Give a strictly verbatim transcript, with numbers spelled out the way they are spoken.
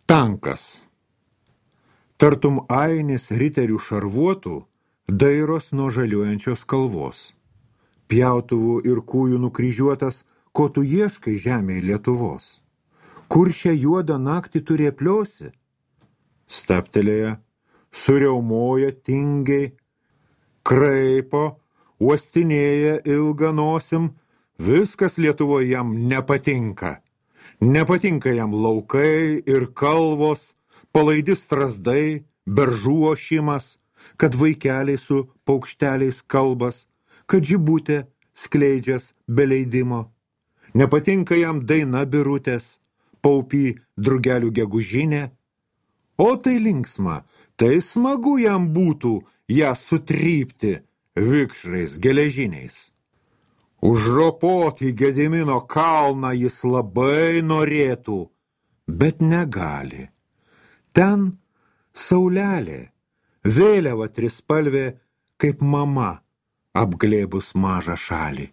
Tankas. Tartum ainis riterių šarvuotų dairos nuo žaliuojančios kalvos. Pjautuvų ir kūjų nukryžiuotas, ko tu ieškai žemėje Lietuvos. Kur šią juodą naktį tu rėpliosi? Staptelėja, suriaumoja tingiai, kraipo, uostinėja ilgą nosim, viskas Lietuvoje jam nepatinka. Nepatinka jam laukai ir kalvos, palaidi strazdai, beržų ošimas, kad vaikeliai su paukšteliais kalbas, kad žibutė skleidžias be leidimo. Nepatinka jam daina birutės, paupy drugelių gegužinė. O tai linksma, tai smagu jam būtų ją sutrypti vikšrais geležiniais. Užropoti Gedimino kalną jis labai norėtų, bet negali. Ten saulelė, vėliava trispalvė, kaip mama apglėbus mažą šalį.